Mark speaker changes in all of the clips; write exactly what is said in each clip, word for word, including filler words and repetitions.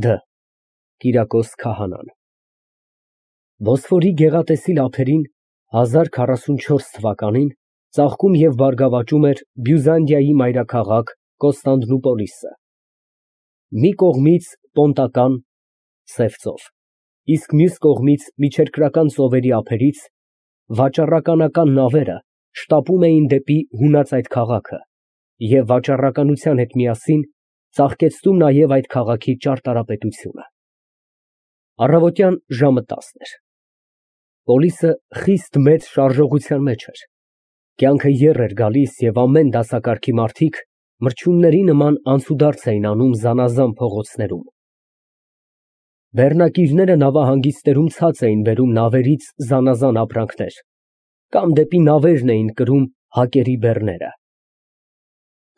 Speaker 1: Դ Կիրակոս Քահանան Բոսֆորի գեղատեսիլ ափերին հազար քառասունչորս թվականին ծաղկում և բարգավաճում էր Բյուզանդիայի մայրաքաղաք Կոստանդնուպոլիսը, մի կողմից պոնտական (սև ծով), իսկ մյուս կողմից միջերկրական ծովերի ափերից վաճառականական նավերը շտապում էին դեպի հունած այդ քաղաքը և վաճառականության հետ միասին ծաղկեցնում նաև այդ քաղաքի ճարտարապետությունը։ Առավոտյան ժամը տասն էր։ Պոլիսը խիստ մեծ շարժողության մեջ էր։ Կյանքը եռ էր գալիս և ամեն դասակարգի մարդիկ մրջյունների նման անցուդարձ էին անում զանազան փողոցներում։ Բեռնակիրները նավահանգիստներում ցած էին բերում նավերից զանազան ապրանքներ, կամ դեպի նավերն էին կրում հակերի բեռները։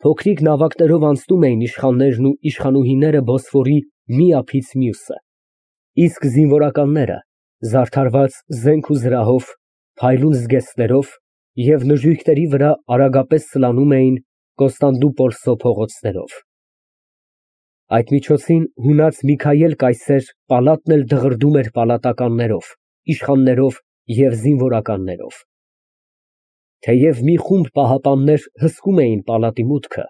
Speaker 1: Փոքրիկ նավակներով անցնում էին իշխաններն ու իշխանուհիները Բոսֆորի մի ափից մյուսը, իսկ զինվորականները, զարդարված զենք ու զրահով, փայլուն զգեստներով և նժույգների վրա արագապես սլանում էին Կոստանդնուպոլսո փողոցներով։ Այդ միջոցին հունած Միքայել կայսեր պալատն էլ դղրդում էր պալատականներով, իշխաններով և զինվորականներով։ Թեև մի խումբ պահապաններ հսկում էին պալատի մուտքը,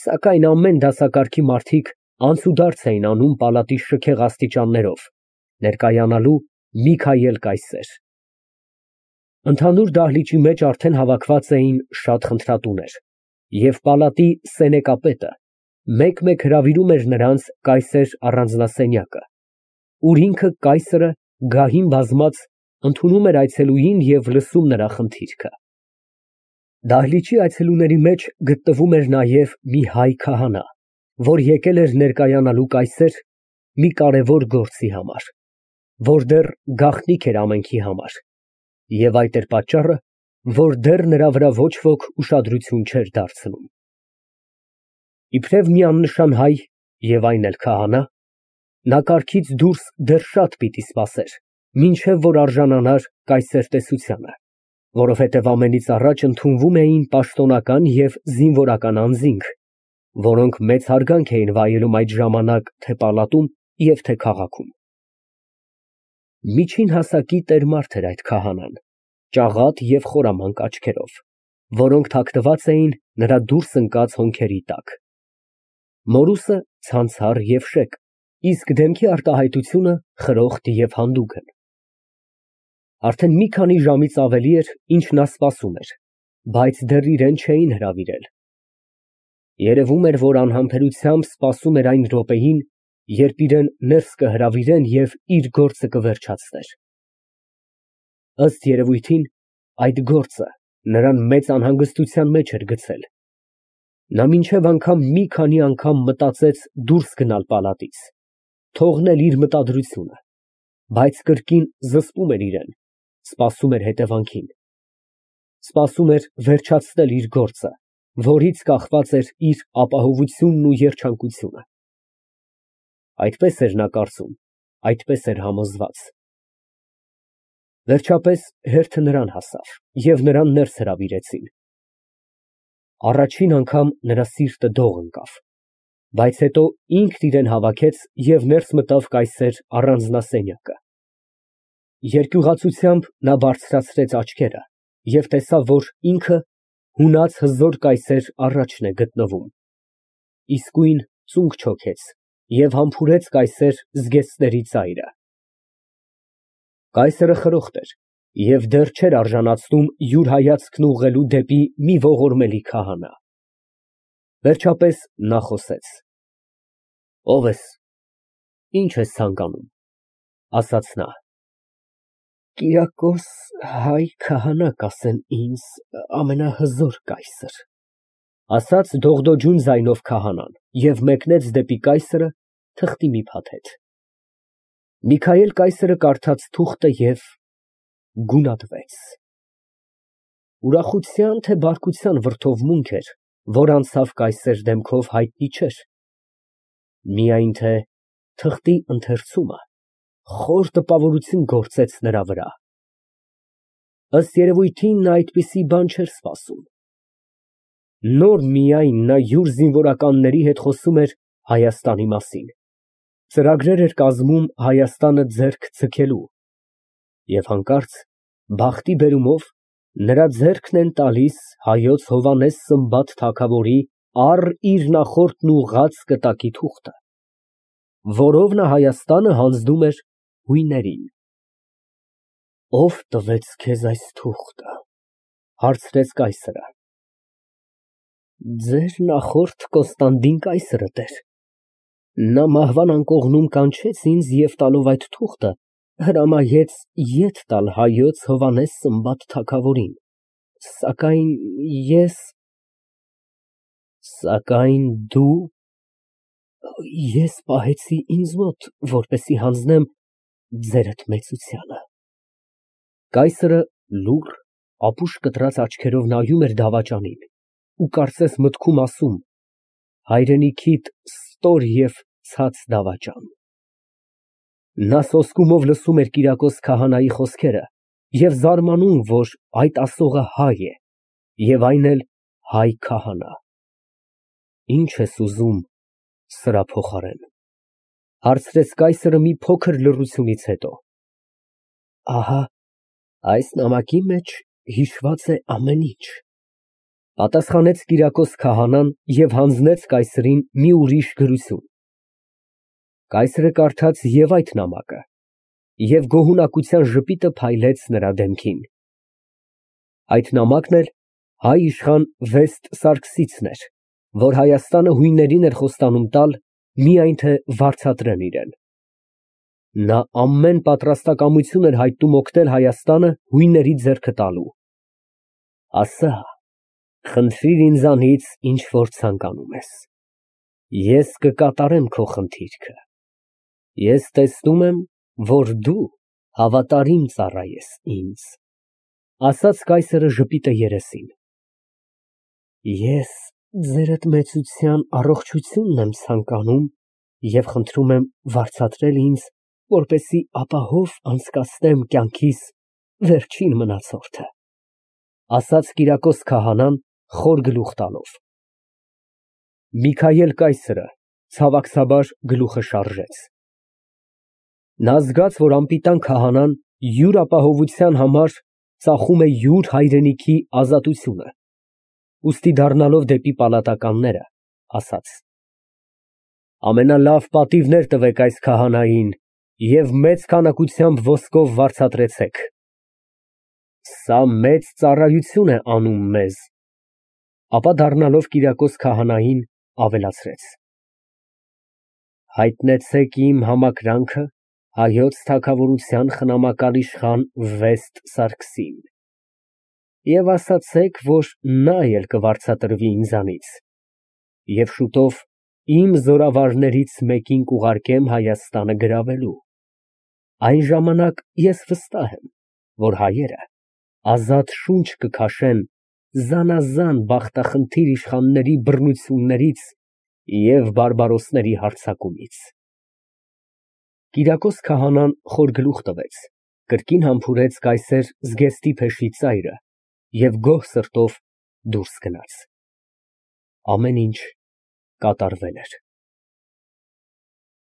Speaker 1: սակայն ամեն դասակարգի մարդիկ անցուդարձ էին անում պալատի շքեղ աստիճաններով ներկայանալու Միքայել կայսեր։ Ընդհանուր դահլիճի մեջ արդեն հավաքված էին շատ խնդրատուներ, և պալատի սենեկապետը մեկ֊մեկ հրավիրում էր նրանց կայսեր առանձնասենյակը, ուր ինքը կայսրը գահին բազմած ընդունում էր այցելուին և լսում նրա խնդիրքը։ Դահլիճի այցելուների մեջ գտնվում էր նաև մի հայ քահանա, որ եկել էր ներկայանալու կայսեր մի կարևոր գործի համար, որ դեռ գաղտնիք էր ամենքի համար, և այդ էր պատճառը, որ դեռ նրա վրա ոչ ոք ուշադրություն չէր դարձնում։ Իբրև մի աննշան հայ և այն էլ քահանա, նա կառքից դուրս դեռ շատ պիտի սպասեր, մինչև որ արժանանար կայսեր տեսությանը, որովհետև ամենից առաջ ընդունվում էին պաշտոնական և զինվորական անձինք, որոնք մեծ հարգանք էին վայելում այդ ժամանակ թե պալատում և թե քաղաքում։ Միջին հասակի տերմարդ էր այդ քահանան, ճաղատ և խորամանկ աչքերով, որոնք թաքնված էին նրա դուրս ընկած հոնքերի տակ։ Մորուսը ցանցառ և շեկ, իսկ դեմքի արտահայտությունը խրոխտ և հանդուգն։ Արդեն մի քանի ժամից ավելի էր, ինչ նա սպասում էր, բայց դեռ իրան չէին հրավիրել։ Երևում էր, որ անհամբերությամբ սպասում էր այն րոպեին, երբ իրան ներս կհրավիրեն և իր գործը կվերջացներ։ Ըստ երևույթին, այդ գործը նրան մեծ անհանգստության մեջ էր գցել։ Նա մինչև անգամ մի քանի անգամ մտածեց դուրս գնալ պալատից, թողնել իր մտադրությունը, բայց կրկին զսպում էր իրան, սպասում էր հետևանքին, սպասում էր վերջացնել իր գործը, որից կախված էր իր ապահովությունն ու երջանկությունը։ Այդպես էր նա կարծում, այդպես էր համոզված։ Վերջապես հերթը նրան հասավ, և նրան ներս հրավիրեցին։ Առաջին անգամ նրա սիրտը դող ընկավ, բայց հետո ինքն իրան հավաքեց և ներս մտավ կայսեր առանձնասենյակը։ Երկյուղացությամբ նա բարձրացրեց աչքերը և տեսավ, որ ինքը հունած հզոր կայսեր առաջն է գտնվում, իսկույն ծունկ չոքեց և համբուրեց կայսեր զգեստների ծայրը։ Կայսրը խրոխտ էր և դեռ չէր արժանացնում յուր հայացքն ուղղելու դեպի մի ողորմելի քահանա։ Վերջապես նա խոսեց. ֊ Ո՞վ ես, ի՞նչ ես ցանկանում, ֊ ասաց նա։ ֊ Կիրակոս հայ քահանա կասեն ինձ, ամենահզոր կայսր, ֊ ասաց դողդոջուն ձայնով քահանան և մեկնեց դեպի կայսրը թղթի մի փաթեթ։ Միքայել կայսրը կարդաց թուղթը և գունատվեց։ Ուրախության, թե բարկության վրդովմունք էր, որ անցավ կայսեր դեմքով, հայտնի չէր, միայն թե թղթի ընթերցումը խոր տպավորություն գործեց նրա վրա։ Ըստ երևույթին, նա այդպիսի բան չէր սպասում։ Նոր միայն նա յուր զինվորականների հետ խոսում էր Հայաստանի մասին, Ծրագրեր էր կազմում Հայաստանը ձեռք ձգելու, և հանկարծ բախտի բերումով նրա ձեռքն են տալիս հայոց Հովհաննես Սմբատ թագավորի առ իր նախորդն ուղղած կտակի թուղթը, որով նա Հայաստանը հանձնում էր հույներին։ ֊ Ո՞վ տվեց քեզ այս թուղթը, ֊ հարցրեց կայսրը։ ֊ Ձեր նախորդ Կոստանդին կայսրը, տեր, նա մահվան անկողնում կանչեց ինձ և տալով այդ թուղթը, հրամայեց ետ տալ հայոց Հովհաննես Սմբատ թագավորին, սակայն ես… ֊ Սակայն դու… ես պահեցի ինձ մոտ, որպեսզի հանձնեմ ձերդ մեծությանը։ Կայսրը լուռ, ապուշ կտրած աչքերով նայում էր դավաճանին ու կարծես մտքում ասում. հայրենիքիդ ստոր և ցած դավաճան… Նա սոսկումով լսում էր Կիրակոս քահանայի խոսքերը և զարմանում, որ այդ ասողը հայ է և այն էլ հայ քահանա։ Ի՞նչ ես ուզում սրա փոխարեն, ֊ հարցրեց կայսրը մի փոքր լռությունից հետո։ ֊ Ահա այս նամակի մեջ հիշված է ամեն ինչ, ֊ պատասխանեց Կիրակոս քահանան և հանձնեց կայսրին մի ուրիշ գրություն։ Կայսրը կարդաց և այդ նամակը, և գոհունակության ժպիտը փայլեց նրա դեմքին։ Այդ նամակն էլ հայ իշխան Վեստ Սարգսիցն էր, որ Հայաստանը հույններին էր խոստանում տալ, միայն թե վարձատրեն իրան։ Նա ամեն պատրաստակամություն էր հայտնում օգնել Հայաստանը հույների ձեռքը տալու։ Ասա, խնդրիր ինձանից, ինչ որ ցանկանում ես, ես կկատարեմ քո խնդիրքը։ Ես տեսնում եմ, որ դու հավատարիմ ծառա ես ինձ, ֊ ասաց կայսրը ժպիտը երեսին։ Ես ձերդ մեծության առողջությունն եմ ցանկանում և խնդրում եմ վարձատրել ինձ, որպեսզի ապահով անցկացնեմ կյանքիս վերջին մնացորդը, ֊ ասաց Կիրակոս քահանան խոր գլուխ տալով։ Միքայել կայսրը ցավակցաբար գլուխը շարժեց։ Նա զգաց, որ անպիտան քահանան յուր ապահովության համար ծախում է յուր հայրենիքի ազատությունը, ուստի դառնալով դեպի պալատականները, ասաց. Ամենալավ պատիվներ տվեք այս քահանային և մեծ քանակությամբ ոսկով վարձատրեցեք։ Սա մեծ ծառայություն է անում մեզ։ Ապա դառնալով Կիրակոս քահանային, ավելացրեց. Հայտնեցեք իմ համակրանքը հայոց թագավորության խնամակալ իշխան Վեստ Սարգսին և ասացեք, որ նա էլ կվարձատրվի ինձանից, և շուտով իմ զորավարներից մեկին կուղարկեմ Հայաստանը գրավելու։ Այն ժամանակ ես վստահ եմ, որ հայերը ազատ շունչ կքաշեն զանազան բախտախնդիր իշխանների բռնություններից և բարբարոսների հարձակումից։ Կիրակոս քահանան խոր գլուխ տվեց, կրկին համբուրեց կայսեր Զգեստի փեշի ծայրը և գոհ սրտով դուրս գնաց։ Ամեն ինչ կատարվել էր։